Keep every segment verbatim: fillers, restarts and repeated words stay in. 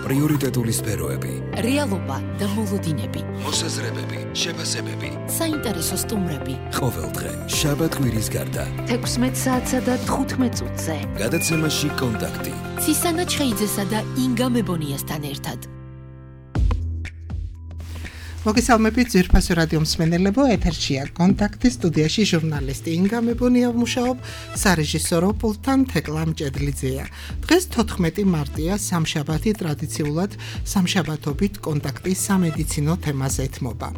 პრიორიტეტული სფეროები, რეალობა და მოლოდინები, მოსაზრებები, შეფასებები, საინტერესო სტუმრები. ყოველდღე შაბათ კვირის გარდა თექვსმეტ საათსა და თხუთმეტ წუთზე გადაცემაში კონტაქტი ცისანა ჩხეიძესა და ინგა მებონიასთან ერთად. მოგესალმებით ძვირფასო რადიო მსმენელებო, ეთერშია კონტაქტი, სტუდიაში ჟურნალისტი ინგა მებონია ვმუშაობ, სარეჟისორო პულტთან თეკლა მჭედლიძეა. დღეს თოთხმეტი მარტია, სამშაბათი, ტრადიციულად სამშაბათობით კონტაქტის სამედიცინო თემას ეთმობა.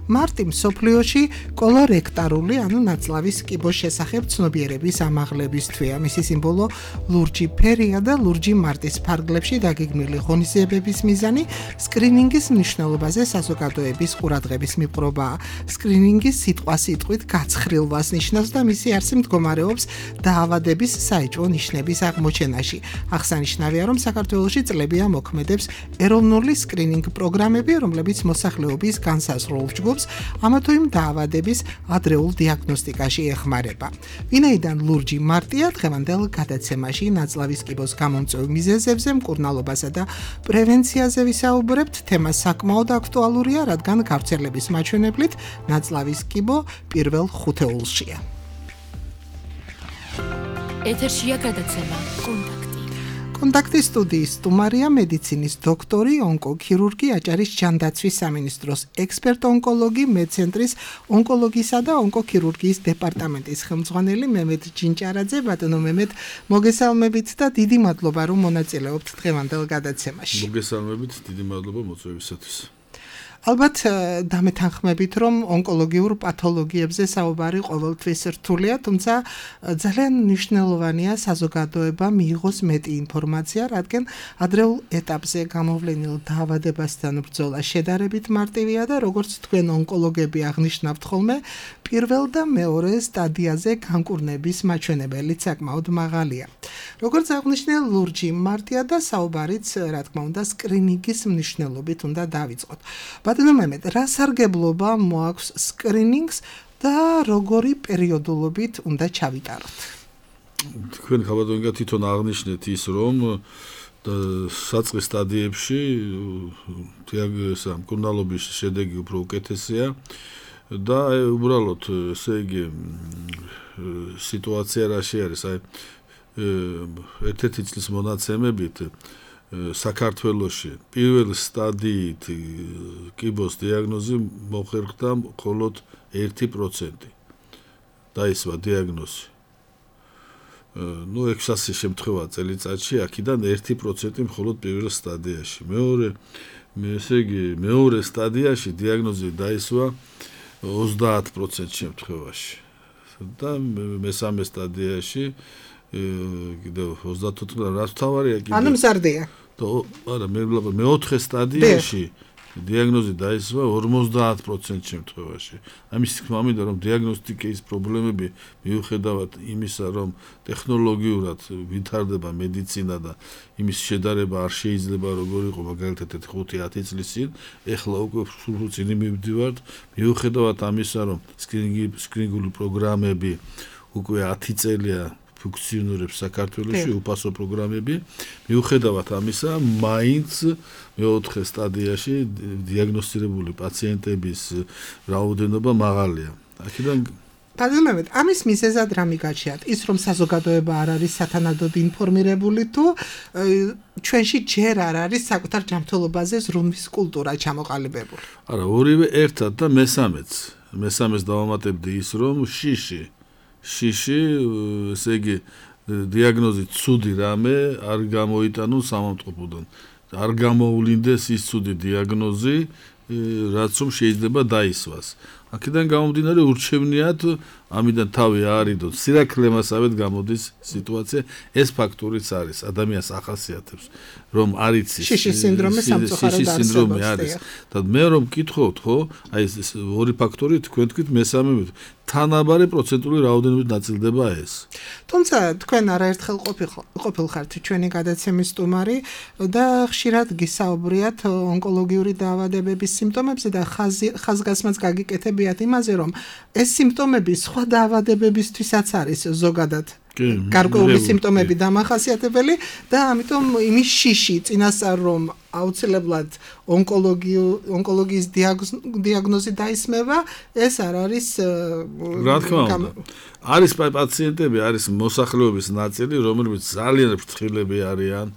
მარტი მსოფლიოში კოლორექტარული, ანუ ნაწლავის კიბოს შესახებ ცნობიერების ამაღლების თვეა. მისი სიმბოლო ლურჯი ფერია და ლურჯი მარტის ფარგლებში დაგეგმილი ღონისძიებების მიზანი სკრინინგის მნიშვნელობაზე საზოგადოების ყურადღების მიპყრობაა. სკრინინგი სიტყვა-სიტყვით გაცხრილვას ნიშნავს და მისი არსი მდგომარეობს დაავადების საეჭვო ნიშნების აღმოჩენაში. აღსანიშნავია, რომ საქართველოში წლებია მოქმედებს ეროვნული სკრინინგ პროგრამები, რომლებიც მოსახლეობის განსაზღვრულ ჯგუფს ამა თუ იმ დაავადების ადრეულ დიაგნოსტიკაში ეხმარება. ვინაიდან ლურჯი მარტია, დღევანდელ გადაცემაში ნაწლავის კიბოს გამომწვევ მიზეზებზე, მკურნალობასა და პრევენციაზე ვისაუბრებთ. თემა საკმაოდ აქტუალურია, რადგან გავრცელების მაჩვენებლით ნაწლავის კიბო პირველ ხუთეულშია. ეთერშია გადაცემა კონტაქტი. კონტაქტის სტუდიის სტუმარია მედიცინის დოქტორი, ონკოქირურგი, აჭარის ჯანდაცვის სამინისტროს ექსპერტ-ონკოლოგი, მედცენტრის ონკოლოგისა და ონკოქირურგიის დეპარტამენტის ხელმძღვანელი მემედ ჯინჭარაძე. ბატონო მემედ, მოგესალმებით და დიდი მადლობა, რომ მონაწილეობთ დღევანდელ გადაცემაში. მოგესალმებით, დიდი მადლობა მოწვევისათვის. ალბათ დამეთანხმებით, რომ ონკოლოგიურ პათოლოგიებზე საუბარი ყოველთვის რთულია, თუმცა ძალიან მნიშვნელოვანია საზოგადოება მიიღოს მეტი ინფორმაცია, რადგან ადრეულ ეტაპზე გამოვლენილ დაავადებასთან ბრძოლა შედარებით მარტივია და როგორც თქვენ ონკოლოგები აღნიშნავთ ხოლმე, პირველ და მეორე სტადიაზე განკურნების მაჩვენებელიც საკმაოდ მაღალია. როგორც აღნიშნე, ლურჯი მარტია და საუბარიც, რა თქმა უნდა, სკრინინგის მნიშვნელობით უნდა დავიწყოთ. ბატონო მემედ, რა სარგებლობა მოაქვს სკრინინგს და როგორი პერიოდულობით უნდა ჩავიტაროთ? თქვენ ხალხო თვითონ აღნიშნეთ ის, რომ საწყის სტადიებში დიაგნოზა მკურნალობის შედეგი უფრო უკეთესია და უბრალოდ ესე იგი სიტუაცია რაში არის, აი ერთ-ერთი წლის მონაცემებით საქართველოში პირველ სტადიით კიბოს დიაგნოზი მოხერხდა მხოლოდ ერთი პროცენტი. დაისვა დიაგნოზი. ნუ ექვსასი შემთხვევა წელიწადში, აქედან ერთი პროცენტი მხოლოდ პირველ სტადიაში. მეორე, ესე იგი, მეორე სტადიაში დიაგნოზი დაისვა ოცდაათ პროცენტ შემთხვევაში. და მესამე სტადიაში კიდევ ოცდაოთხ რაც თავარია კიდევ. ანუ მზარდია. არა, მე ვიბლა მეოთხე სტადიაში დიაგნოზი დაისვა ორმოცდაათ პროცენტ შემთხვევაში. ამის თქმა მინდა, რომ დიაგნოსტიკის პრობლემები მიუხედავად იმისა, რომ ტექნოლოგიურად ვითარდება მედიცინა და იმის შედარება არ შეიძლება როგორ იყო მაგალითად ხუთი ათი წლის წინ, ეხლა უკვე სულ წინ მივდივართ, მიუხედავად ამისა, რომ სკრინინგი სკრინინგული პროგრამები უკვე ათი წელია ფუნქციონირებს საქართველოში, უფასო პროგრამები. მიუხედავად ამისა, მაინც მეოთხე სტადიაში დიაგნოსტირებული პაციენტების რაოდენობა მაღალია. აქედან ბატონო მემედ, ამის მიზეზად რა მიგაჩნიათ? ის, რომ საზოგადოება არ არის სათანადოდ ინფორმირებული, თუ ჩვენში ჯერ არ არის საკუთარ ჯანმრთელობაზე ზრუნვის კულტურა ჩამოყალიბებული? არა, ორივე ერთად და მესამეც. მესამეს დავამატებდი ის, რომ შიში შიში, ესე იგი, დიაგნოზი ცუდი რამე არ გამოიტანოს სამავტყოფოდან. არ გამოულინდეს ის ცუდი დიაგნოზი, რაც რომ შეიძლება დაისვას. აქედან გამომდინარე ურჩევნიათ ამიდან თავი აარიდოთ. სირაქლემასავით გამოდის სიტუაცია, ეს ფაქტორიც არის, ადამიანს ახასიათებს, რომ არ იცის შიშის სინდრომი სამწუხაროდ არის. და მე რომ მკითხოთ, ხო, აი ეს ორი ფაქტორი თქვენ თქვით მესამე თანაბარი პროცენტული რაოდენობით ნაწილდება ეს. თუმცა თქვენ არაერთხელ ყოფილხართ ჩვენი გადაცემის სტუმარი და ხშირად გისაუბრიათ ონკოლოგიური დაავადებების სიმპტომებზე და ხაზგასმაც გაგიკეთებიათ იმაზე, რომ ეს სიმპტომები სხვა დაავადებებისთვისაც არის ზოგადად გარკვეული სიმპტომები დამახასიათებელი და ამიტომ იმის შიში წინასწარ რომ აუცილებლად ონკოლოგიის დიაგნოზი დაისმება, ეს არ არის რა თქმა უნდა. არის პაციენტები, არის მოსახლეობის ნაწილი, რომლებიც ძალიან ფრთხილები არიან.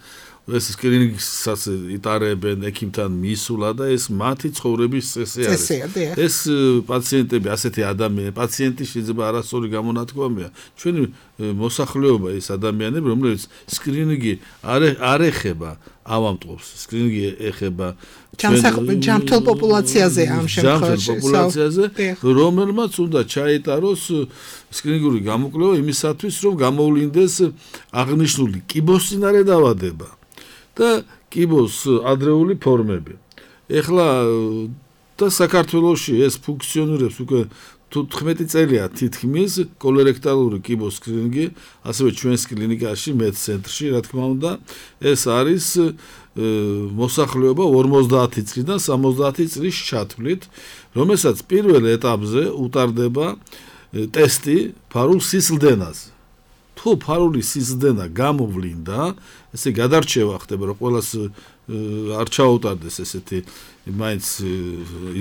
ეს სკრინინგსაც იტარებენ ექიმთან მისულა და ეს მათი ცხოვრების წესი არის. ეს პაციენტები, ასეთი ადამიანები, პაციენტი შეიძლება არასწორი გამონათქვამია. ჩვენი მოსახლეობა ის ადამიანები, რომლებიც სკრინინგი არ ეხება ავამტყობს. სკრინინგი ეხება ჯამთელ პოპულაციაზე ამ შემთხვევაში. პოპულაციაზე, რომელმაც უნდა ჩაიტაროს სკრინინგური გამოკვლევა იმისათვის, რომ გამოვლინდეს აღნიშნული კიბოს წინარე დაავადება. და კიბოს ადრეული ფორმები. ეხლა და საქართველოში ეს ფუნქციონირებს უკვე თხმეტი წელია თითქმის კოლორექტალური კიბოს სკრინინგი, ასევე ჩვენს კლინიკაში, მედცენტრში, რა თქმა უნდა, ეს არის მოსახლეობა ორმოცდაათი წლიდან სამოცდაათი წლის ჩათვლით, რომელსაც პირველ ეტაპზე უტარდება ტესტი ფარულ სისხლდენაზე. თუ ფარული სისხლდენა გამოვლინდა, ესე გადარჩევა ხდება, რომ ყველას არ ჩაუტარდეს ესეთი მაინც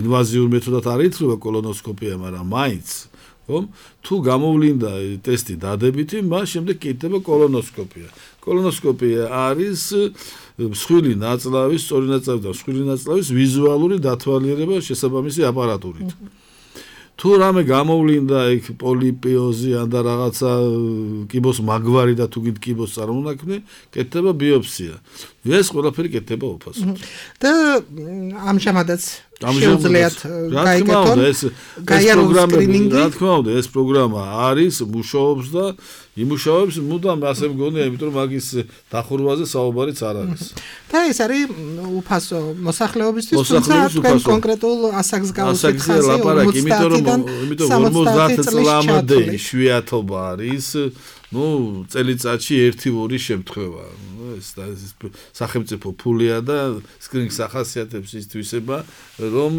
ინვაზიურ მეთოდად არ ითვლება კოლონოსკოპია, მაგრამ მაინც, ხომ? თუ გამოვლინდა ტესტი დადებითი, მას შემდეგ კიდდება კოლონოსკოპია. კოლონოსკოპია არის მსხვილი ნაწლავის, სწორი ნაწლავის და მსხვილი ნაწლავის ვიზუალური დათვალიერება შესაბამისი აპარატურით. თუ რამე გამოვლინდა იქ პოლიპიოზი ან და რაღაცა კიბოს მაგვარი და თუ გით კიბოს წარმონაქმნი, კეთდება ბიოპსია. ეს ყველაფერი კეთდება უფასოდ. და ამჟამადაც შეუძლიათ გაიგეთონ გაიაროს სკრინინგი. რა თქმა უნდა, ეს პროგრამა არის, მუშაობს და იმუშავებს, მუდამ ასე მგონია, იმიტომ რომ მაგის დახურვაზე საუბარიც არ არის. და ეს არის უფასო მოსახლეობისთვის, თუმცა თქვენ კონკრეტულ ასაკს გავუსახავთ, ლაპარაკი, იმიტომ რომ იმიტომ ორმოცდაათი წლამდე იშვიათობა არის, ну, წელიწადში ერთი-ორი შემთხვევა. ეს სახელმწიფო ფულია და სკრინინგს ახასიათებს ის თვისება, რომ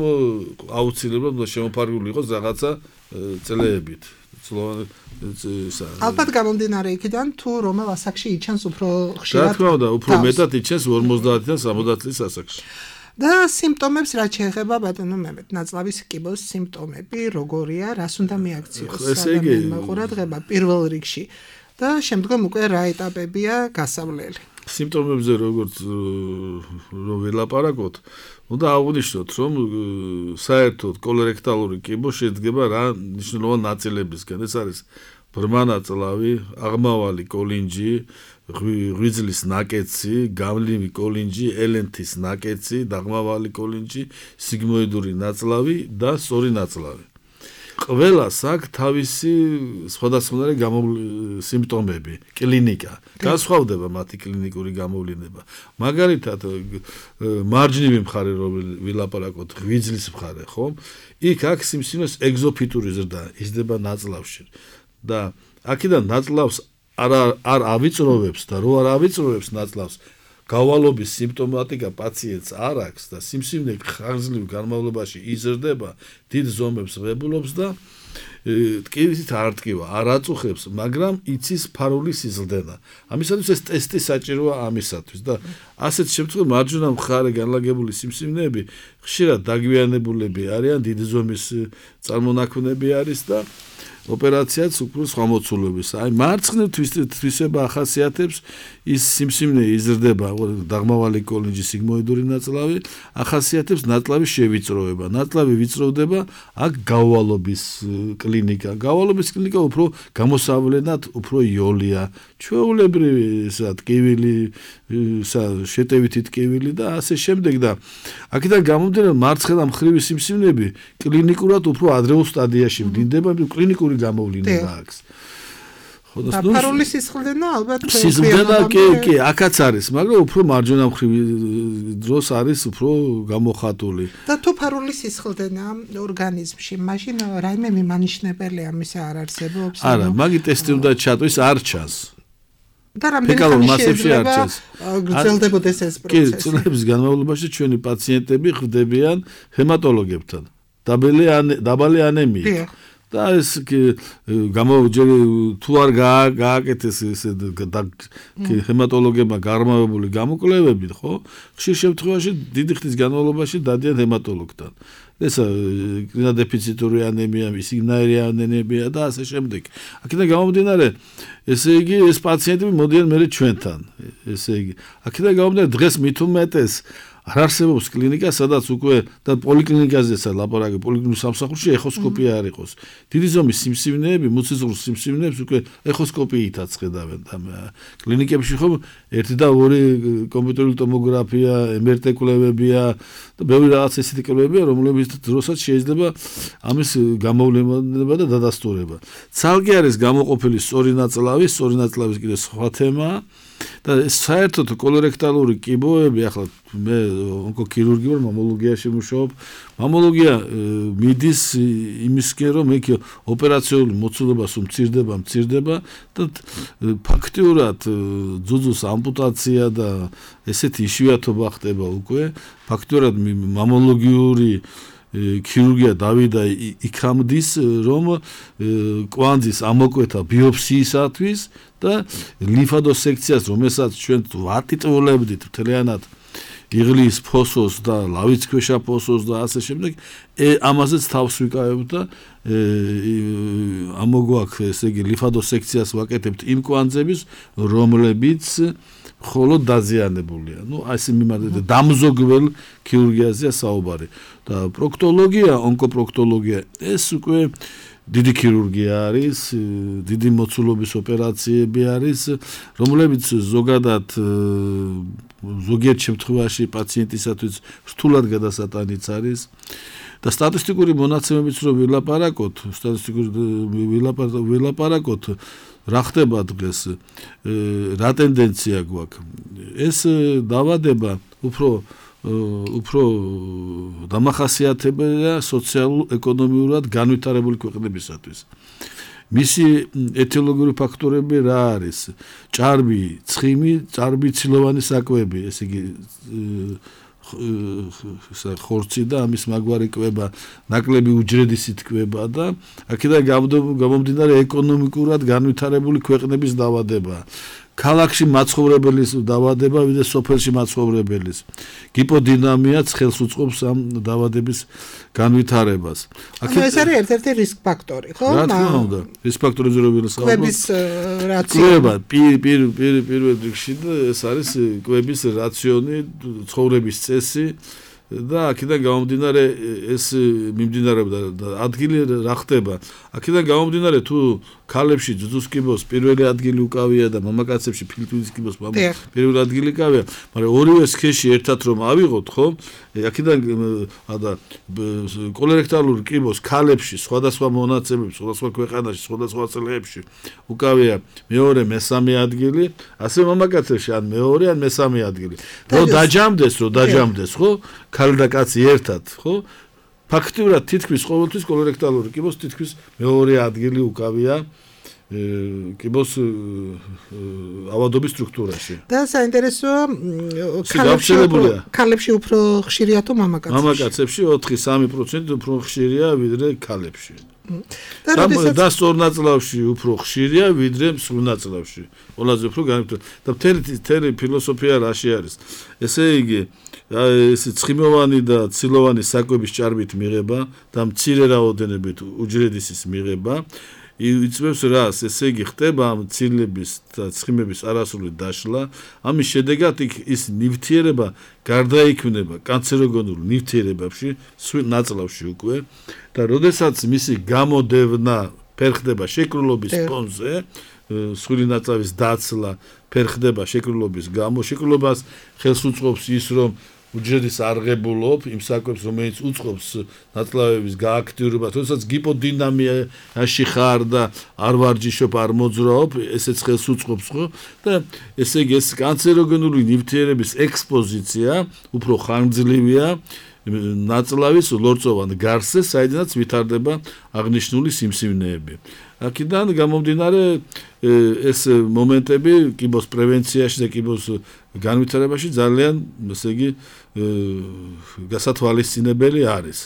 აუცილებლად უნდა შემოფარგლული იყოს რაღაცა წლეებით. ალბათ გამომდინარე იქიდან, თუ რომელ ასაკში იჩენს უფრო ხშირად. რა თქმა უნდა, უფრო მეტად იჩენს ორმოცდაათიდან სამოცდაათი წლის ასაკში. და სიმპტომებს რაც შეეხება ბატონო მემედ, ნაწლავის კიბოს სიმპტომები როგორია, რას უნდა მიაქციოს ადამიანმა ყურადღება პირველ რიგში და შემდგომ უკვე რა ეტაპებია გასავლელი. სიმპტომებზე როგორც რომ ველაპარაკოთ, უნდა აღვნიშნოთ, რომ საერთოდ კოლორექტალური კიბო შედგება რა მნიშვნელოვან ნაწილებისგან. ეს არის ბრმა ნაწლავი, აღმავალი კოლინჯი, ღვიძლის ნაკეცი, გამლივი კოლინჯი, ელენთის ნაკეცი, დაღმავალი კოლინჯი, სიგმოიდური ნაწლავი და სწორი ნაწლავი. ყველას აქვს თავისი სხვადასხვანაირი სიმპტომები, კლინიკა. განსხვავდება მათი კლინიკური გამოვლინება. მაგალითად, მარჯნივი მხარე რომ ვილაპარაკოთ, ღვიძლის მხარე, ხო? იქ აქვს სიმსივნეს ეგზოფიტური ზრდა, იზრდება ნაწლავში. და აქედან ნაწლავს არ არ ავიწროვებს და რო არ ავიწროვებს ნაწლავს, გავალობის სიმპტომატიკა პაციენტს არ აქვს და სიმსივნე ხანგრძლივ განმავლობაში იზრდება, დიდ ზომებს ღებულობს და ტკივით არ ტკივა, არ აწუხებს, მაგრამ იცის ფარული სიზლდენა. ამისათვის ეს ტესტი საჭიროა ამისათვის და ასეთ შემთხვევაში მარჯვენა მხარე განლაგებული სიმსივნეები ხშირად დაგვიანებულები არიან, დიდი ზომის წარმონაქმნები არის და ოპერაციაც უფრო სხვა მოცულობისა. აი მარცხნივ თვისება ახასიათებს ის სიმსივნე იზრდება, დაღმავალი კოლინჯი, სიგმოიდური ნაწლავი, ახასიათებს ნაწლავის შევიწროვება. ნაწლავი ვიწროვდება, აქ გავალობის კლინიკა. გავალობის კლინიკა უფრო გამოსავლენად უფრო იოლია. ჩვეულებრივი ისა ტკივილი, ისა შეტევითი ტკივილი და ასე შემდეგ და აქედან გამომდინარე მარცხენა მხრივი სიმსივნეები კლინიკურად უფრო ადრეულ სტადიაში ვლინდება, კლინიკური გამოვლინება აქვს. და ფარული სისხლდენა ალბათ სისხლდენა კი კი აქაც არის, მაგრამ უფრო მარჯვენა მხრივი დროს არის უფრო გამოხატული. და თუ ფარული სისხლდენა ორგანიზმში, მაშინ რაიმე მიმანიშნებელია მის არ არსებობს? არა, მაგი ტესტი უნდა ჩატვის, არ ჩანს. და რამდენი მასებში არ ჩანს. გრძელდებოდეს ეს პროცესი. კი, წლების განმავლობაში ჩვენი პაციენტები ხვდებიან ჰემატოლოგებთან. დაბალი დაბალი ანემიით. და ეს გამოჯერი თუ არ გააკეთეს ეს ჰემატოლოგებმა გარმავებული გამოკვლევები, ხო? ხშირ შემთხვევაში დიდი ხნის განმავლობაში დადიან ჰემატოლოგთან. ეს კრინოდეფიციტური ანემია, სიგნაირი ანემია და ასე შემდეგ. აქედან გამომდინარე, ესე იგი ეს პაციენტები მოდიან მერე ჩვენთან. ესე იგი, აქედან გამომდინარე დღეს მით უმეტეს არ არსებობს კლინიკა, სადაც უკვე და პოლიკლინიკაზეც ლაპარაკი, პოლიკლინიკურ სამსახურში ეხოსკოპია არ იყოს. დიდი ზომის სიმსივნეები, მუცისღვრ სიმსივნეებს უკვე ეხოსკოპიითაც ხედავენ და კლინიკებში ხომ ერთი და ორი კომპიუტერული ტომოგრაფია, em er te კვლევებია და ბევრი რაღაც ესეთი კვლევებია, რომლებიც დროსაც შეიძლება ამის გამოვლენა და დადასტურება. ცალკე არის გამოყოფილი სწორი ნაწლავი, სწორი ნაწლავის კიდე სხვა თემაა. და საერთოდ კოლორექტალური კიბოები ახლა მე ონკოქირურგი ვარ, მამოლოგიაში ვმუშაობ. მამოლოგია მიდის იმისკენ რომ იქ ოპერაციული მოცულობას უმცირდება, მცირდება და ფაქტიურად ძუძუს ამპუტაცია და ესეთი იშვიათობა ხდება უკვე. ფაქტიურად მამოლოგიური ქირურგია დავიდა იქამდის რომ კვანძის ამოკვეთა ბიოფსიისათვის და ლიმფადოსექციას რომელსაც ჩვენ ვატიტვლებდით მთლიანად იღლის ფოსოს და ლავიცქვეშა ფოსოს და ასე შემდეგ ამაზეც თავს ვიკავებთ და ამოგვაქვს ესე იგი ლიმფადოსექციას ვაკეთებთ იმ კვანძების რომლებიც მხოლოდ დაზიანებულია. ნუ ასე მიმართა დამზოგებელ ქირურგიაზეა საუბარი. და პროქტოლოგია, ონკოპროქტოლოგია ეს უკვე დიდი ქირურგია არის, დიდი მოცულობის ოპერაციები არის, რომლებიც ზოგადად ზოგიერთ შემთხვევაში პაციენტისათვის რთულად გადასატანიც არის. და სტატისტიკური მონაცემებიც რო ვილაპარაკოთ, სტატისტიკური ვილაპარაკოთ, რა ხდება დღეს, რა ტენდენცია გვაქვს. ეს დავადება უფრო უფრო დამახასიათებელია სოციალურ-ეკონომიურად განვითარებული ქვეყნებისათვის. მისი ეთიოლოგიური ფაქტორები რა არის? ჭარბი, ცხიმი, ჭარბი ცილოვანი საკვები, ესე იგი ხორცი და ამის მაგვარი კვება, ნაკლები უჯრედისით კვება და აქედან გამომდინარე ეკონომიკურად განვითარებული ქვეყნების დავადება. ქალაქში მაცხოვრებელის დავადება, ვიდრე სოფელში მაცხოვრებელის. გიპოდინამიაც ხელს უწყობს ამ დავადების განვითარებას. აქედან ეს არის ერთ-ერთი რისკ ფაქტორი, ხო? რა თქმა უნდა, რისკ ფაქტორებზე რო ვილაპარაკობ. კვების რაციონი. კვება, პირ პირ პირ პირველ რიგში ეს არის კვების რაციონი, ცხოვრების წესი. და აქედან გამომდინარე ეს მიმდინარეობდა და ადგილი რა ხდება. აქედან გამომდინარე თუ ქალებში ძუძუს კიბოს პირველი ადგილი უკავია და მამაკაცებში ფილტვის კიბოს პირველი ადგილი უკავია, მაგრამ ორივე სქესში ერთად რომ ავიღოთ, ხო? აქედან და კოლორექტალური კიბოს ქალებში სხვადასხვა მონაცემები, სხვადასხვა ქვეყანაში, სხვადასხვა წლებში უკავია მეორე, მესამე ადგილი, ასე მამაკაცებში ან მეორე, ან მესამე ადგილი. რო დაჯამდეს, რო დაჯამდეს, ხო? ქალი და კაცი ერთად, ხო? ფაქტიურად თითქმის ყოველთვის კოლორექტალური კიბოს თითქმის მეორე ადგილი უკავია კიბოს ავადობის სტრუქტურაში. და საინტერესოა ქალებში ქალებში უფრო ხშირია თუ მამაკაცებში? მამაკაცებში ოთხი სამი პროცენტი უფრო ხშირია ვიდრე ქალებში. და სწორ ნაწლავში უფრო ხშირია ვიდრე მსხვილ ნაწლავში. ყველაზე უფრო განვითარებული. და მთელი მთელი ფილოსოფია რაში არის? ესე იგი ეს ცხიმოვანი და ცილოვანი საკვების ჭარბით მიღება და მცირე რაოდენობით უჯრედისის მიღება იწვევს რას? ესე იგი ხდება ამ ცილების და ცხიმების არასრული დაშლა. ამის შედეგად ის ნივთიერება გარდაიქმნება კანცეროგენულ ნივთიერებებში, სულ ნაწლავში უკვე და როდესაც მისი გამოდევნა ფერხდება შეკრულობის ფონზე, სული ნაწლავის დაცლა ფერხდება შეკრულობის გამო, შეკრულებას ხელს უწყობს ის რომ უჯრედის არღებულობ იმ საკვებს რომელიც უწყობს ნაწლავების გააქტიურებას, როდესაც გიპოდინამიაში ხარ და არ ვარჯიშობ, არ მოძრაობ, ესეც ხელს უწყობს, ხო? და ესე იგი ეს კანცეროგენული ნივთიერების ექსპოზიცია უფრო ხანგრძლივია ნაწლავის ლორწოვან გარსზე, საიდანაც ვითარდება აღნიშნული სიმსივნეები. აქედან გამომდინარე ეს მომენტები კიბოს პრევენციაში და კიბოს განვითარებაში ძალიან, ესე იგი, გასათვალისწინებელი არის.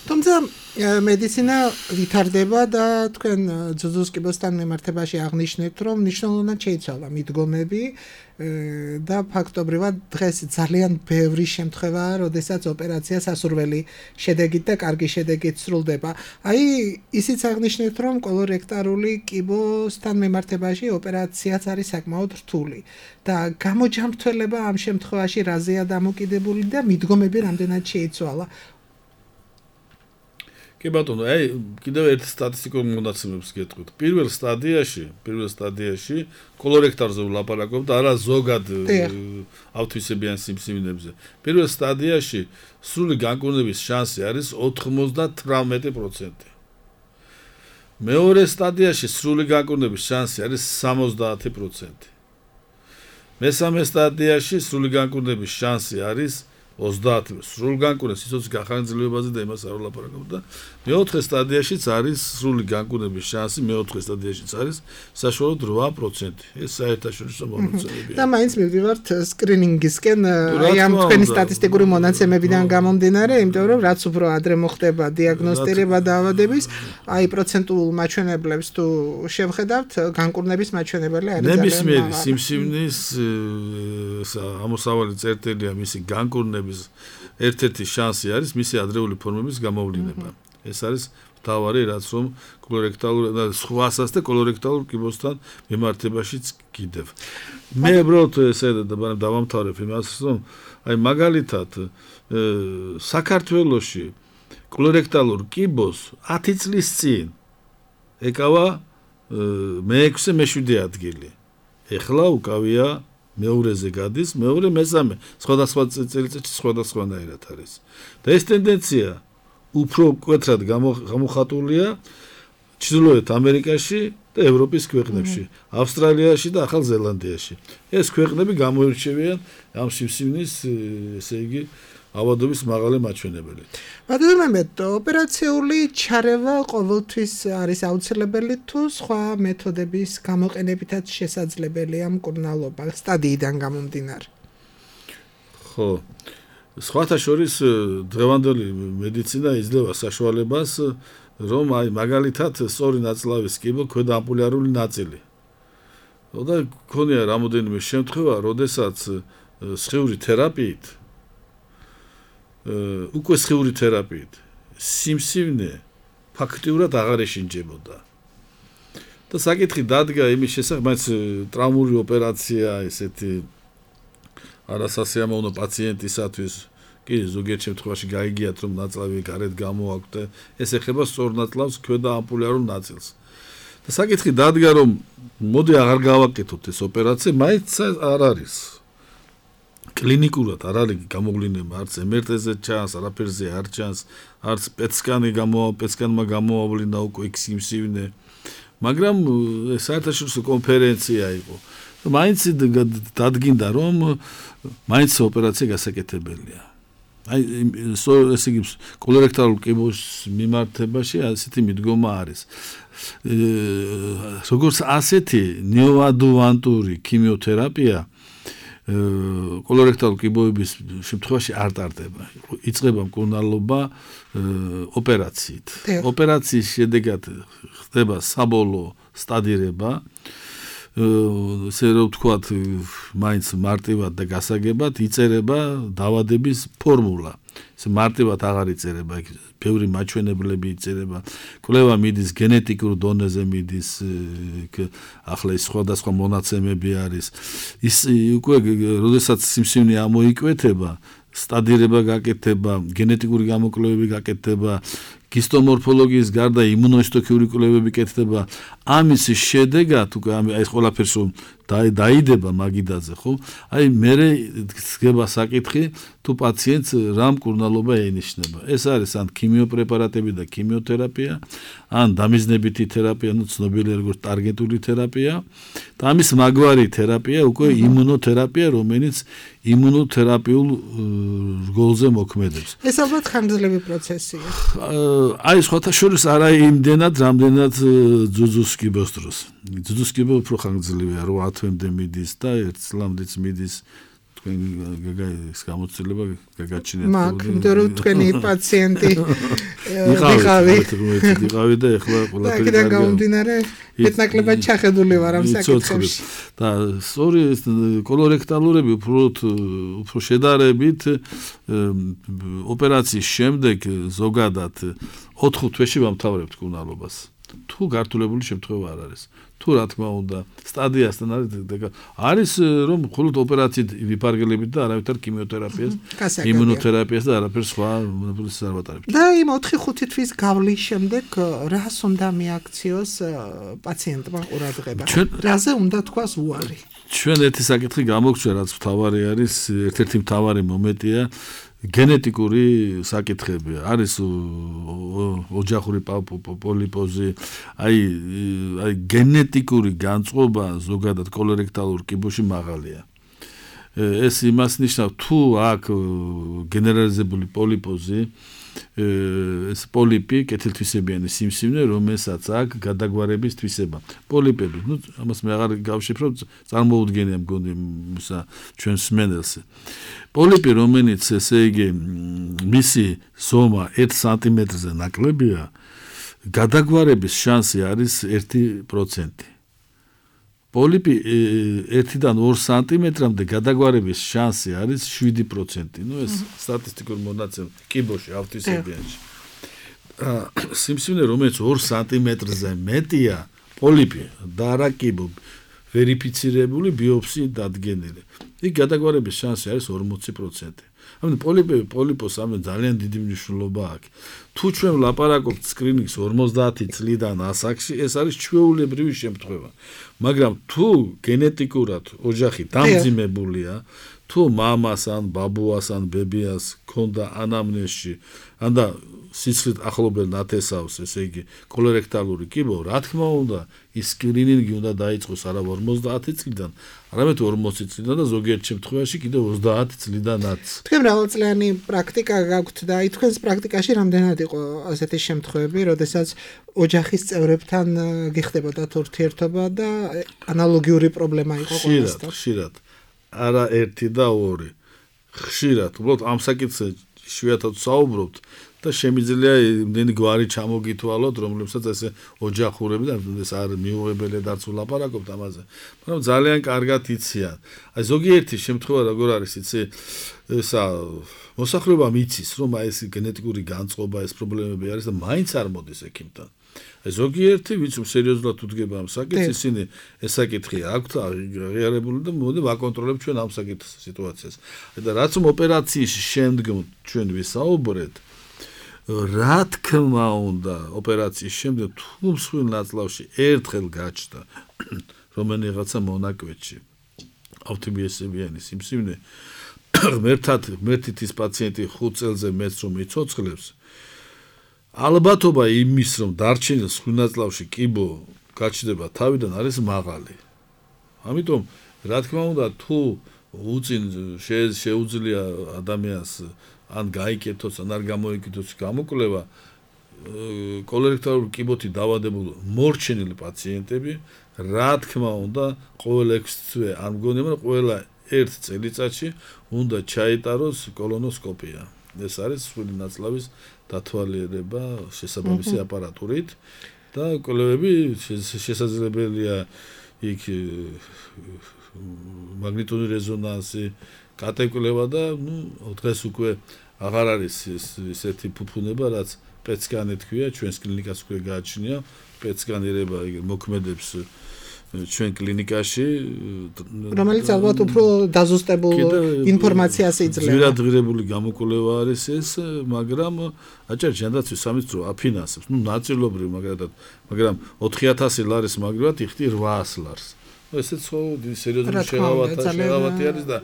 თუმცა მედიცინა ვითარდება და თქვენ ძუძუს კიბოსთან მიმართებაში აღნიშნეთ, რომ მნიშვნელოვნად შეიცვალა მიდგომები და ფაქტობრივად დღეს ძალიან ბევრი შემთხვევაა, როდესაც ოპერაცია სასურველი შედეგით და კარგი შედეგით სრულდება. აი, ისიც აღნიშნეთ, რომ კოლორექტარული კიბოსთან მიმართებაში ოპერაციაც არის საკმაოდ რთული და გამოჯამრთველება ამ შემთხვევაში რაზეა დამოკიდებული და მიდგომები რამდენად შეიცვალა. კი ბატონო, აი კიდევ ერთ სტატისტიკურ მონაცემებს გეტყვით. პირველ სტადიაში, პირველ სტადიაში კოლორექტარზე ვლაპარაკობ და არა ზოგად ავთვისებიან სიმსივნებზე. პირველ სტადიაში სრული განკურნების შანსი არის ოთხმოცდათვრამეტი პროცენტი. მეორე სტადიაში სრული განკურნების შანსი არის სამოცდაათი პროცენტი. მესამე სტადიაში სრული განკურნების შანსი არის ოცდაათი სრულ განკურნების სიცოცხლის გახანგრძლივებაზე და იმას არ ვლაპარაკობ და მეოთხე სტადიაშიც არის სრული განკურნების შანსი, მეოთხე სტადიაშიც არის საშუალოდ რვა პროცენტი. ეს საერთაშორისო მონაცემებია. და მაინც მივდივართ სკრინინგისკენ, აი ამ თქვენი სტატისტიკური მონაცემებიდან გამომდინარე, იმიტომ რომ რაც უფრო ადრე მოხდება დიაგნოსტირება დაავადების, აი პროცენტულ მაჩვენებლებს თუ შევხედავთ, განკურნების მაჩვენებელი არის ძალიან მაღალი. ნებისმიერი სიმსივნის ამოსავალი წერტილია მისი განკურნების ერთ-ერთი შანსი არის მისი ადრეული ფორმების გამოვლინება. ეს არის მთავარი, რაც რომ კოლორექტალურ და სხვასაც და კოლორექტალურ კიბოსთან მიმართებაშიც კიდევ. მე უბრალოდ ესე დავამთავრებ იმას, რომ აი მაგალითად საქართველოში კოლორექტალურ კიბოს ათი წლის წინ ეკავა მეექვსე მეშვიდე ადგილი. ეხლა უკავია მეორეზე გადის, მეორე მესამე, სხვადასხვა წელიწადში სხვადასხვანაირად არის. და ეს ტენდენცია უფრო მკვეთრად გამოხატულია ჩრდილოეთ ამერიკაში და ევროპის ქვეყნებში, ავსტრალიაში და ახალ ზელანდიაში. ეს ქვეყნები გამოირჩევიან ამ სიმსივნის, ესე იგი, ავადობის მაღალი მაჩვენებელით. ბატონო, ოპერაციული ჩარევა ყოველთვის არის აუცილებელი თუ სხვა მეთოდების გამოყენებითაც შესაძლებელია მკურნალობა სტადიიდან გამომდინარე? ხო, სხვათა შორის დღევანდელი მედიცინა იძლევა საშუალებას, რომ აი მაგალითად სწორი ნაწლავის კიბო ქვედა ამპულარული ნაწილი. და ქონია რამოდენიმე შემთხვევა, როდესაც სხიური თერაპიით უკვე სხიური თერაპიით სიმსივნე ფაქტიურად აღარ ეშინჯებოდა. და საკითხი დადგა იმის შესახებ, მაინც ტრავმური ოპერაცია, ესეთი არასასიამოვნო პაციენტისათვის, კი ზოგიერთ შემთხვევაში გაიგიათ, რომ ნაწლავი გარეთ გამოაქვთ, ეს ეხება სწორ ნაწლავს ქვედა ამპულარულ ნაწილს. და საკითხი დადგა, რომ მოდი აღარ გავაკეთოთ ეს ოპერაცია, მაინც არ არის. კლინიკურად არ არის გამოვლინება, არც em er te-ზე ჩანს, არაფერზე არ ჩანს, არც პეტ-სკანი გამოა, პეტ-სკანმა გამოავლინა უკვე სიმსივნე. მაგრამ საერთაშორისო კონფერენცია იყო. მაინც დადგინდა, რომ მაინც ოპერაცია გასაკეთებელია. აი ესე იგი კოლორექტალურ კიბოს მიმართებაში ასეთი მიდგომა არის. როგორც ასეთი ნეოადუვანტური ქიმიოთერაპია კოლორექტალურ კიბოების შემთხვევაში არ ტარდება. იწყება მკურნალობა ოპერაციით. ოპერაციის შედეგად ხდება საბოლოო სტადირება, ესე რომ ვთქვათ, მაინც მარტივად და გასაგებად იწერება დაავადების ფორმულა. ესე მარტივად აღარ იწერება, ბევრი მაჩვენებლები იწერება. კვლევა მიდის გენეტიკურ დონეზე მიდის, ახლა ის სხვადასხვა მონაცემები არის. ის უკვე როდესაც სიმსივნე ამოიკვეთება, სტადირება გაკეთდება, გენეტიკური გამოკვლევები გაკეთდება, ჰისტომორფოლოგიის გარდა იმუნოհისტოქიმიური კვლევები კეთდება. ამის შედეგად უკვე აი ეს ყველაფერს რომ დაიდება მაგიდაზე, ხო? აი მე გება საკითხი თუ პაციენტს რა მკურნალობა ენიშნება. ეს არის ან ქიმიოპრეპარატები და ქიმიოთერაპია, ან დამიზნებითი თერაპია, ну ცნობილი როგორც ტარგეტული თერაპია. და ამის მაგვარი თერაპია უკვე იმუნოთერაპია, რომელიც იმუნოთერაპიულ რგოლზე მოქმედებს. ეს ალბათ ხანგრძლივი პროცესია. აი სხვათა შორის არა იმდენად, რამდენად ძუძუს კიბოს დროს. ძუძუს კიბო უფრო ხანგრძლივია, რვა თვემდე მიდის და ერთ წლამდეც მიდის. თქვენ გაგაის გამოცდილება გაგაჩნიათ მაგ იმიტომ თქვენი პაციენტი ვიყავი ვიყავი და ეხლა ყველაფერი და გამომდინარე მეტნაკლებად ჩახედული ვარ ამ საკითხებში და სწორი კოლორექტალურები უფრო უფრო შედარებით ოპერაციის შემდეგ ზოგადად ოთხ თვეში ვამთავრებთ კუნალობას თუ გართულებული შემთხვევა არ არის თუ რა თქმა უნდა სტადიასთან არის არის რომ მხოლოდ ოპერაციით ვიფარგლებით და არავითარ ქიმიოთერაპიას იმუნოთერაპიას და არაფერ სხვა მონაპოლის არ ვატარებთ და იმ ოთხი ხუთი თვის გავლის შემდეგ რას უნდა მიაქციოს პაციენტმა ყურადღება რაზე უნდა თქვას უარი ჩვენ ერთი საკითხი გამოგჩვია რაც მთავარი არის ერთ-ერთი მთავარი მომენტია გენეტიკური საკითხები არის ოჯახური პოლიპოზი აი აი გენეტიკური განწყობა ზოგადად კოლორექტალურ კიბოში მაღალია ეს იმას ნიშნავს თუ აქ გენერალიზებული პოლიპოზი ეს პოლიპი კეთილთვისებიანი სიმსივნე რომელსაც აქ გადაგვარების თვისება პოლიპები ნუ ამას მე აღარ გავშიფრო წარმოუდგენია მგონი ისა ჩვენ სმენელს პოლიპი რომელიც ესე იგი მისი ზომა ერთ სანტიმეტრზე ნაკლებია გადაგვარების შანსი არის ერთი პროცენტი პოლიპი ერთიდან ორ სანტიმეტრამდე გადაგვარების შანსი არის შვიდი პროცენტი. ნუ ეს სტატისტიკურ მონაცემ კიბოში ავთვისებიანში. სიმსივნე რომელიც ორ სანტიმეტრზე მეტია პოლიპი და არა კიბო ვერიფიცირებული ბიოპსიით დადგენილი. იქ გადაგვარების შანსი არის ორმოცი პროცენტი. ამიტომ პოლიპები პოლიპოს ამენ ძალიან დიდი მნიშვნელობა აქვს. თუ ჩვენ ვლაპარაკობთ სკრინინგს ორმოცდაათი წლიდან ასაკში, ეს არის ჩვეულებრივი შემთხვევა. მაგრამ თუ გენეტიკურად ოჯახი დამძიმებულია, თუ მამას ან ბაბუას ან ბებიას ქონდა ანამნეზში, ან და სიცილით ახლობელ ნათესავს, ესე იგი კოლორექტალური კიბო, რა თქმა უნდა, ის სკრინინგი უნდა დაიწყოს არა ორმოცდაათი წლიდან, არამედ ორმოცი წლიდან და ზოგიერთ შემთხვევაში კიდევ ოცდაათი წლიდანაც. თქვენ მრავალწლიანი პრაქტიკა გაქვთ და აი თქვენს პრაქტიკაში რამდენად იყო ასეთი შემთხვევები, როდესაც ოჯახის წევრებთან გიხდებოდათ ურთიერთობა და ანალოგიური პრობლემა იყო ყველასთან. ხშირად, არა ერთი და ორი. ხშირად, უბრალოდ ამ საკითხზე იშვიათად საუბრობთ და შემიძლია იმდენი გვარი ჩამოგითვალოთ, რომლებსაც ესე ოჯახურები და ეს არ მიუღებელია დარც ვლაპარაკობთ ამაზე. მაგრამ ძალიან კარგად იციან. აი ზოგიერთი შემთხვევა როგორ არის, იცი, ესა მოსახლეობა მიცის, რომ აი ეს გენეტიკური განწყობა, ეს პრობლემები არის და მაინც არ მოდის ექიმთან. აი ზოგიერთი ვინც სერიოზულად უდგება ამ საკითხს, ისინი ეს საკითხი აქვთ აღიარებული და მოდი ვაკონტროლებთ ჩვენ ამ საკითხის სიტუაციას. და რაც ოპერაციის შემდგომ ჩვენ ვისაუბრეთ, რა თქმა უნდა, ოპერაციის შემდეგ თუ მსხვილ ნაწლავში ერთხელ გაჩნდა რომელიღაცა მონაკვეთში ავთიბიესებიანი სიმსივნე, ღმერთად ღმერთით ის პაციენტი ხუთ წელზე მეც რომ იცოცხლებს, ალბათობა იმის რომ დარჩენილ მსხვილ ნაწლავში კიბო გაჩნდება თავიდან არის მაღალი. ამიტომ რა თქმა უნდა, თუ უწინ შეუძლია ადამიანს ან გაიკეთოს, ან არ გამოიკეთოს გამოკვლევა, კოლორექტალური კიბოთი დავადებულ მორჩენილი პაციენტები, რა თქმა უნდა, ყოველ ექვსი თვე არ მგონია, მაგრამ ყველა ერთ წელიწადში უნდა ჩაიტაროს კოლონოსკოპია. ეს არის მსხვილი ნაწლავის დათვალიერება შესაბამისი აპარატურით და კვლევები შესაძლებელია იქ მაგნიტური რეზონანსი კატეკვლევა და ნუ დღეს უკვე აღარ არის ესეთი ფუფუნება, რაც პეტ-სკანი თქვია, ჩვენს კლინიკას უკვე გააჩნია, პეტ-სკანირება მოქმედებს ჩვენ კლინიკაში, რომელიც ალბათ უფრო დაზუსტებულ ინფორმაციას იძლევა. ძვირადღირებული გამოკვლევა არის ეს, მაგრამ აჭარ ჯანდაცვის სამინისტრო აფინანსებს, ნუ ნაწილობრივ, მაგრამ მაგრამ ოთხი ათასი ლარის მაგრივად იხდი რვაას ლარს. ესეც ხო სერიოზული შეღავათი არის და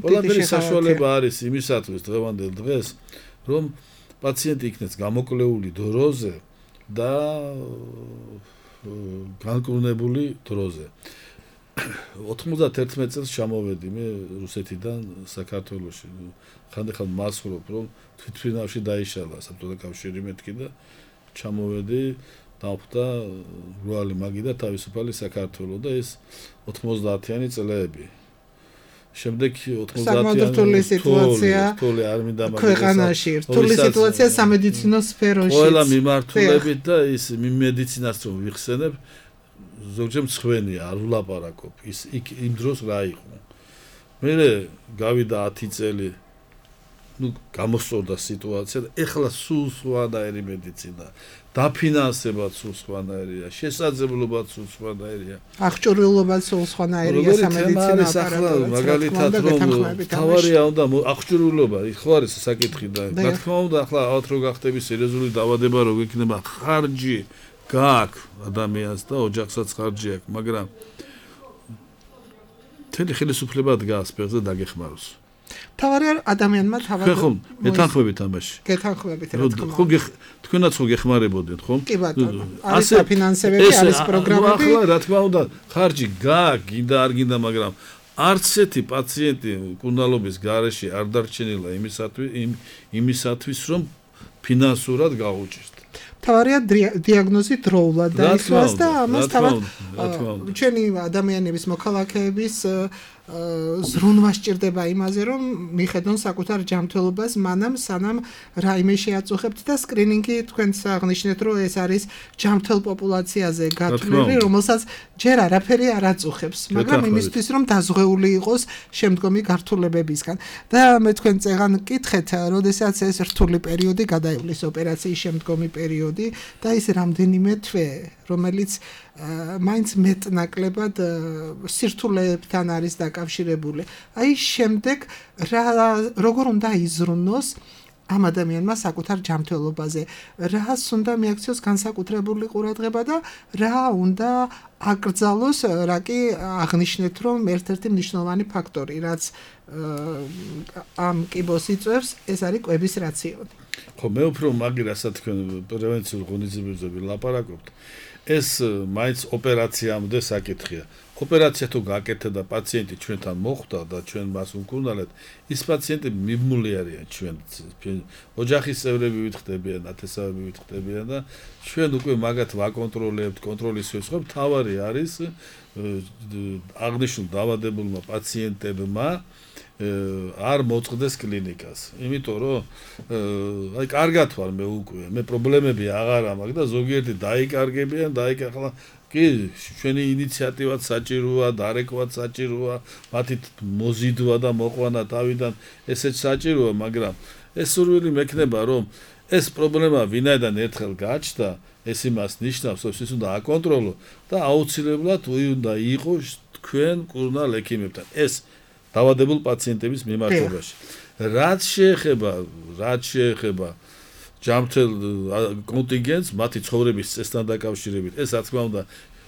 ყველაფერი საშუალება არის იმისათვის დღევანდელ დღეს, რომ პაციენტი იქნეს გამოკვლეული დროზე და განკურნებული დროზე. ოთხმოცდაერთმეტ წელს ჩამოვედი მე რუსეთიდან საქართველოში. ხანდახან მასხურობ, რომ თვითმფრინავში დაიშალა საბჭოთა კავშირი მეთქი და ჩამოვედი დავხვდა რუალი მაგი და თავისუფალი საქართველო და ეს ოთხმოცდაათიანი წლები. შემდეგ საკმაოდ რთული სიტუაცია ქვეყანაში, რთული სიტუაცია სამედიცინო სფეროში. ყველა მიმართულებით და ის მედიცინას რომ ვიხსენებ, ზოგჯერ მცხვენია, არ ვლაპარაკობ. ის იმ დროს რა იყო. მე გავიდა ათი წელი, ну, გამოსწორდა სიტუაცია და ეხლა სულ სხვანაირი მედიცინა, დაფინანსებაც სულ სხვანაირია, შესაძლებლობაც სულ სხვანაირია. აღჭურვილობაც სულ სხვანაირია სამედიცინო აპარატურა. მაგალითად რომ თავარია უნდა აღჭურვილობა, ხო არის საკითხი და რა თქმა უნდა ახლა ალბათ რო გახდები სერიოზული დაავადება რო გექნება ხარჯი გააქვს ადამიანს და ოჯახსაც ხარჯი აქვს, მაგრამ თელი ხელისუფლება დგას ფეხზე დაგეხმაროს. თავარია ადამიანმა თავად ხო, მეთანხმებით ამაში. გეთანხმებით რა თქმა უნდა. ხო, თქვენაც ხო გეხმარებოდეთ, ხო? კი ბატონო. არის საფინანსებები, არის პროგრამები. ახლა რა თქმა უნდა, ხარჯი გააქვს, გინდა არ გინდა, მაგრამ არც ერთი პაციენტი კუნალობის გარეშე არ დარჩენილა იმისათვის, იმისათვის, რომ ფინანსურად გაუჭირთ. თავარია დიაგნოზი დროულად დაისვას და ამას თავად ჩვენი ადამიანების მოქალაქეების ზრუნვა სჭირდება იმაზე, რომ მიხედონ საკუთარ ჯანმრთელობას მანამ სანამ რაიმე შეაწუხებთ და სკრინინგი თქვენს აღნიშნეთ, რომ ეს არის ჯანმრთელ პოპულაციაზე გათვლილი, რომელსაც ჯერ არაფერი არ აწუხებს, მაგრამ იმისთვის, რომ დაზღვეული იყოს შემდგომი გართულებებისგან. და მე თქვენ წეგან კითხეთ, როდესაც ეს რთული პერიოდი გადაივლის ოპერაციის შემდგომი პერიოდი და ის რამდენიმე თვე, რომელიც მაინც მეტნაკლებად სირთულეებთან არის დაკავშირებული. აი შემდეგ რა როგორ უნდა იზრუნოს ამ ადამიანმა საკუთარ ჯანმრთელობაზე, რას უნდა მიაქციოს განსაკუთრებული ყურადღება და რა უნდა აკრძალოს, რა კი აღნიშნეთ, რომ ერთ-ერთი მნიშვნელოვანი ფაქტორი, რაც ამ კიბოს იწვევს, ეს არის კვების რაციონი. ხო, მე უფრო მაგირასაც თქვენ პრევენციულ ღონისძიებებზე ვილაპარაკობთ. ეს მაინც ოპერაციამდე საკითხია. ოპერაცია თუ გაკეთდა და პაციენტი ჩვენთან მოხვდა და ჩვენ მას ვმკურნალეთ, ის პაციენტი მიმმული არიან ჩვენ ოჯახის წევრები ვითხდებიან, ათესავები ვითხდებიან და ჩვენ უკვე მაგათ ვაკონტროლებთ, კონტროლის ვეცხოვთ. თავარი არის აღნიშნულ დაავადებულმა პაციენტებმა არ მოწყდეს კლინიკას. იმიტომ რომ აი კარგად ვარ მე უკვე, მე პრობლემები აღარ მაქვს და ზოგიერთი დაიკარგებიან, დაიკარგა კი, ჩვენი ინიციატივაც საჭიროა, დარეკვაც საჭიროა, მათი მოზიდვა და მოყვანა თავიდან ესეც საჭიროა, მაგრამ ეს სურვილი მექნება, რომ ეს პრობლემა ვინაიდან ერთხელ გაჩნდა, ეს იმას ნიშნავს, რომ ის უნდა აკონტროლო და აუცილებლად უნდა იყოს თქვენ კურნალ ექიმებთან. ეს დაავადებულ პაციენტების მიმართებაში. რაც შეეხება, რაც შეეხება ჯანმრთელ კონტინგენტს, მათი ცხოვრების წესთან დაკავშირებით, ეს რა თქმა უნდა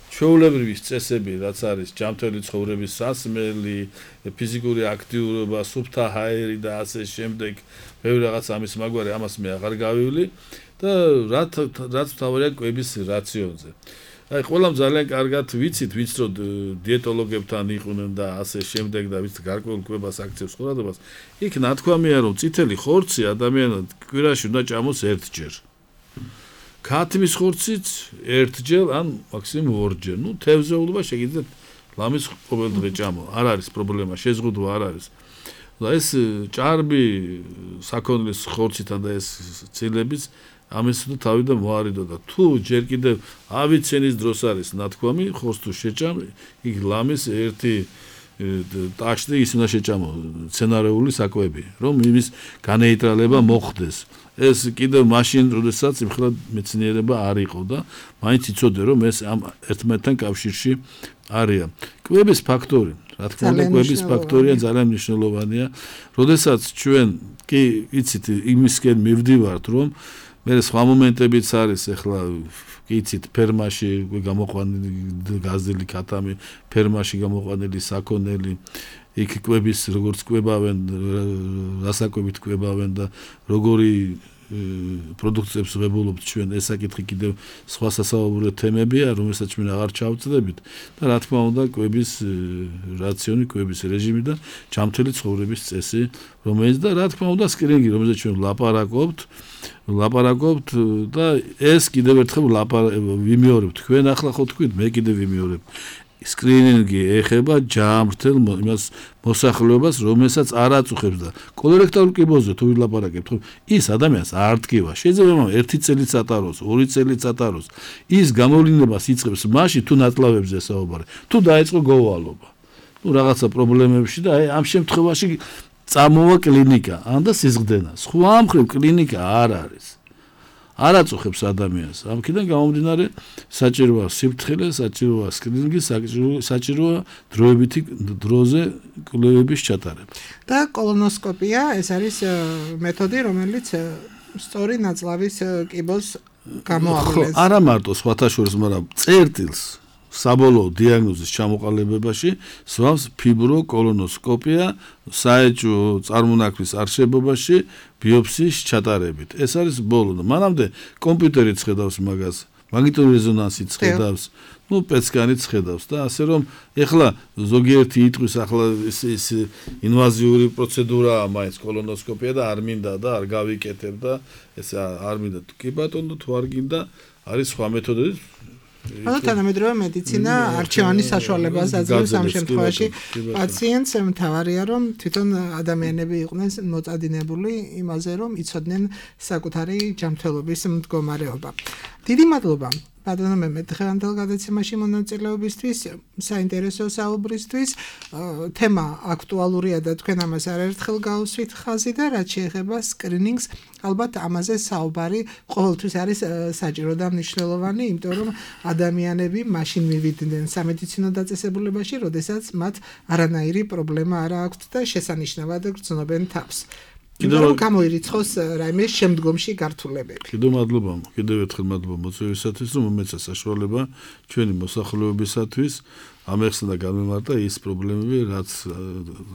ჩვეულებრივი წესები, რაც არის ჯანმრთელი ცხოვრების სასმელი, ფიზიკური აქტიურობა, სუფთა ჰაერი და ასე შემდეგ, ბევრი რაღაც ამის მაგვარი, ამას მე აღარ გავივლი და რაც რაც თავარია კვების რაციონზე. აი ყველამ ძალიან კარგად ვიცით, ვინც რო დიეტოლოგებთან იყვნენ და ასე შემდეგ და ვინც გარკვეულ კვებას აქცევს ყურადღებას, იქ ნათქვამია რომ წითელი ხორცი ადამიანად კვირაში უნდა ჭამოს ერთჯერ. ქათმის ხორციც ერთჯერ ან მაქსიმუმ ორჯერ. ნუ თევზეულობა შეგიძლიათ ლამის ყოველდღე ჭამო. არ არის პრობლემა, შეზღუდვა არ არის. და ეს ჭარბი საქონლის ხორცითან და ეს ცილების ამის თუ თავიდან მოარიდო და თუ ჯერ კიდევ ავიცენის დროს არის ნათქვამი, ხორცს თუ შეჭამ, იქ ლამის ერთი ტაშტი ის უნდა შეჭამო სცენარეული საკვები, რომ იმის განეიტრალება მოხდეს. ეს კიდევ მაშინ, როდესაც იმხელა მეცნიერება არ იყო და მაინც იცოდე, რომ ეს ამ ერთმანეთთან კავშირში არიან. კვების ფაქტორი, რა თქმა უნდა, კვების ფაქტორია ძალიან მნიშვნელოვანია. როდესაც ჩვენ კი იცით იმისკენ მივდივართ, რომ მე სხვა მომენტებიც არის ახლა იცით ფერმაში გამოყვანილი გაზელი ქათამი, ფერმაში გამოყვანილი საქონელი, იქ კვების როგორც კვებავენ, რასაკვებით კვებავენ და როგორი პროდუქტებს ვებულობთ ჩვენ, ეს საკითხი კიდევ სხვა სასაუბრო თემებია, რომელსაც ჩვენ აღარ ჩავწდებით და რა თქმა უნდა კვების რაციონი, კვების რეჟიმი და ჯანმრთელი ცხოვრების წესი, რომელიც და რა თქმა უნდა სკრინინგი, რომელზეც ჩვენ ვლაპარაკობთ, ვლაპარაკობთ და ეს კიდევ ერთხელ ვიმეორებ. თქვენ ახლა ხო თქვით, მე კიდევ ვიმეორებ. სკრინინგი ეხება ჯამრთელ იმას მოსახლეობას, რომელსაც არ აწუხებს და კოლორექტორულ კიბოზე თუ ვილაპარაკებთ, ხო, ის ადამიანს არ დგება. შეიძლება ერთი წელიც ატაროს, ორი წელიც ატაროს. ის გამოვლინებას იწყებს მაშინ თუ ნაწლავებზე საუბარი, თუ დაიწყო გოვალობა. ნუ რაღაცა პრობლემებში და აი ამ შემთხვევაში წამოვა კლინიკა, ან და სიზღდენა. სხვა მხრივ კლინიკა არ არის. არ აწუხებს ადამიანს. ამქიდან გამომდინარე საჭიროა სიფრთხილე, საჭიროა სკრინინგი, საჭიროა დროებითი დროზე კვლევების ჩატარება. და კოლონოსკოპია ეს არის მეთოდი, რომელიც სწორი ნაწლავის კიბოს გამოავლენს. ხო, არა მარტო სხვათა შორის, მაგრამ წერტილს საბოლოო დიაგნოზის ჩამოყალიბებაში სვავს ფიბროკოლონოსკოპია საეჭვო წარმონაქმნის არშებობაში ბიოპსიის ჩატარებით. ეს არის ბოლო. მანამდე კომპიუტერით ხედავს მაგას, მაგნიტური რეზონანსით ხედავს, ну პეცკანით ხედავს და ასე რომ ეხლა ზოგიერთი იტყვის ახლა ეს ეს ინვაზიური პროცედურაა მაინც კოლონოსკოპია და არ მინდა და არ გავიკეთებ და ეს არ მინდა. კი ბატონო, თუ არ გინდა, არის სხვა მეთოდები. ანუ თანამედროვე მედიცინა არჩევანის საშუალებას აძლევს ამ შემთხვევაში პაციენტს. მთავარია რომ თვითონ ადამიანები იყვნენ მოწადინებული იმაზე რომ იცოდნენ საკუთარი ჯანმრთელობის მდგომარეობა. დიდი მადლობა ბატონო მემედ დღევანდელ გადაცემაში მონაწილეობისთვის, საინტერესო საუბრისთვის. თემა აქტუალურია და თქვენ ამას არაერთხელ გავუსვით ხაზი და რაც შეეხება სკრინინგს, ალბათ ამაზე საუბარი ყოველთვის არის საჭირო და მნიშვნელოვანი, იმიტომ რომ ადამიანები მაშინ მივიდნენ სამედიცინო დაწესებულებაში, როდესაც მათ არანაირი პრობლემა არ აქვთ და შესანიშნავად გრძნობენ თავს. კიდევ გამოირიცხოს რაიმე შემდგომში გართულებები. კიდევ მადლობა, კიდევ ერთხელ მადლობა მოწვევისათვის, რომ მომეცა საშუალება ჩვენი მოსახლეობისათვის ამეხსნა და გამემართა ის პრობლემები, რაც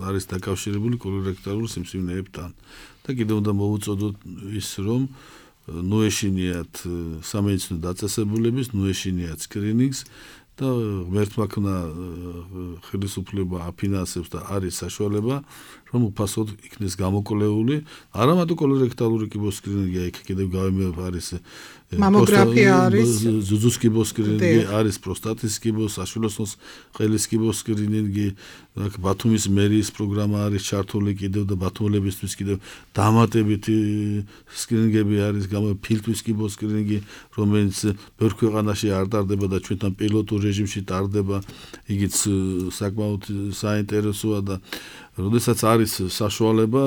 არის დაკავშირებული კოლორექტორულ სიმსივნეებთან. და კიდევ უნდა მოვუწოდოთ ის, რომ ნუ ეშინიათ სამედიცინო დაწესებულების, ნუ ეშინიათ სკრინინგს და ღმერთმა ქნა ხელისუფლება აფინანსებს და არის საშუალება რომ უფასოდ იქნეს გამოკვლეული არა მარტო კოლორექტალური კიბოს სკრინინგი, იქ კიდევ გავიმეორებ არის მამოგრაფია არის, ზუზუს კიბოს სკრინინგი არის, პროსტატის კიბოს, საშვილოსნოს ყელის კიბოს სკრინინგი, აქ ბათუმის მერიის პროგრამა არის ჩართული კიდევ და ბათუმელებისთვის კიდევ დამატებითი სკრინინგები არის, გამო ფილტვის კიბოს სკრინინგი, რომელიც ბევრ ქვეყანაში არ ტარდება და ჩვენთან პილოტურ რეჟიმში ტარდება, იგიც საკმაოდ საინტერესოა და როდესაც არის საშუალება,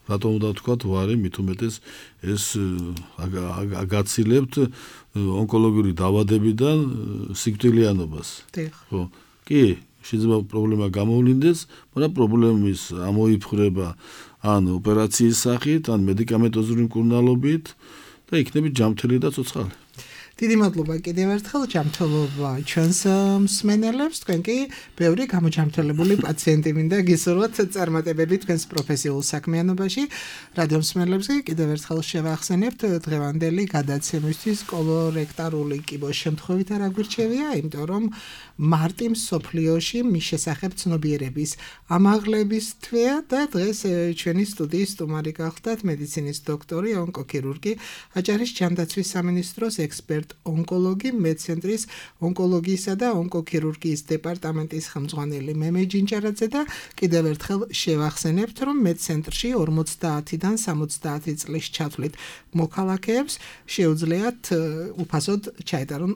რატომ უნდა ვთქვათ, ვარი, მით უმეტეს ეს აგაცილებთ ონკოლოგიური დაავადებიდან სიკვდილიანობას. ხო, კი, შეიძლება პრობლემა გამოვლინდეს, მაგრამ პრობლემის ამოიფხრება ან ოპერაციის სახით, ან მედიკამენტოზური მკურნალობით და იქნებით ჯანმრთელი და ცოცხალი. დიდი მადლობა კიდევ ერთხელ, ჯანმრთელობა ჩვენს მსმენელებს, თქვენ კი ბევრი გამოჯანმრთელებული პაციენტი მინდა გისურვოთ წარმატებები თქვენს პროფესიულ საქმიანობაში. რადიო მსმენელებს კი კიდევ ერთხელ შევახსენებთ დღევანდელი გადაცემისთვის კოლორექტორული კიბოს შემთხვევით არ აგვირჩევია, იმიტომ რომ მარტი მსოფლიოში მის შესახებ ცნობიერების ამაღლების თვეა და დღეს ჩვენი სტუდიის სტუმარი გახლდათ მედიცინის დოქტორი, ონკოქირურგი, აჭარის ჯანდაცვის სამინისტროს ექსპერტი ონკოლოგი, მედცენტრის ონკოლოგიისა და ონკოქირურგიის დეპარტამენტის ხელმძღვანელი მემე ჯინჯარაძე და კიდევ ერთხელ შევახსენებთ, რომ მედცენტრში ორმოცდაათიდან სამოცდაათი წლის ჩათვლით მოქალაქეებს შეუძლიათ უფასოდ ჩაეტარონ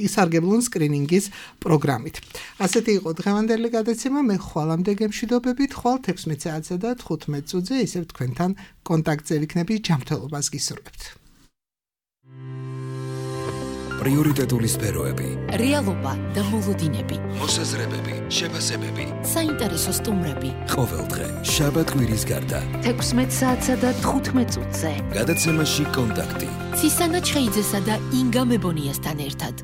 ისარგებლონ სკრინინგის პროგრამით. ასეთი იყო დღევანდელი გადაცემა, მე ხვალამდე გემშვიდობებით, ხვალ თექვსმეტ საათსა და თხუთმეტ წუთზე ისევ თქვენთან კონტაქტზე ვიქნები, ჯანმრთელობას გისურვებთ. პრიორიტეტული სფეროები, რეალობა და მოლოდინები, მოსაზრებები, შეფასებები, საინტერესო სტუმრები. ყოველდღე შაბათ-კვირის გარდა თექვსმეტ საათსა და თხუთმეტ წუთზე გადაცემაში კონტაქტი. ცისანა ჩხეიძესა და ინგა მებონიასთან ერთად.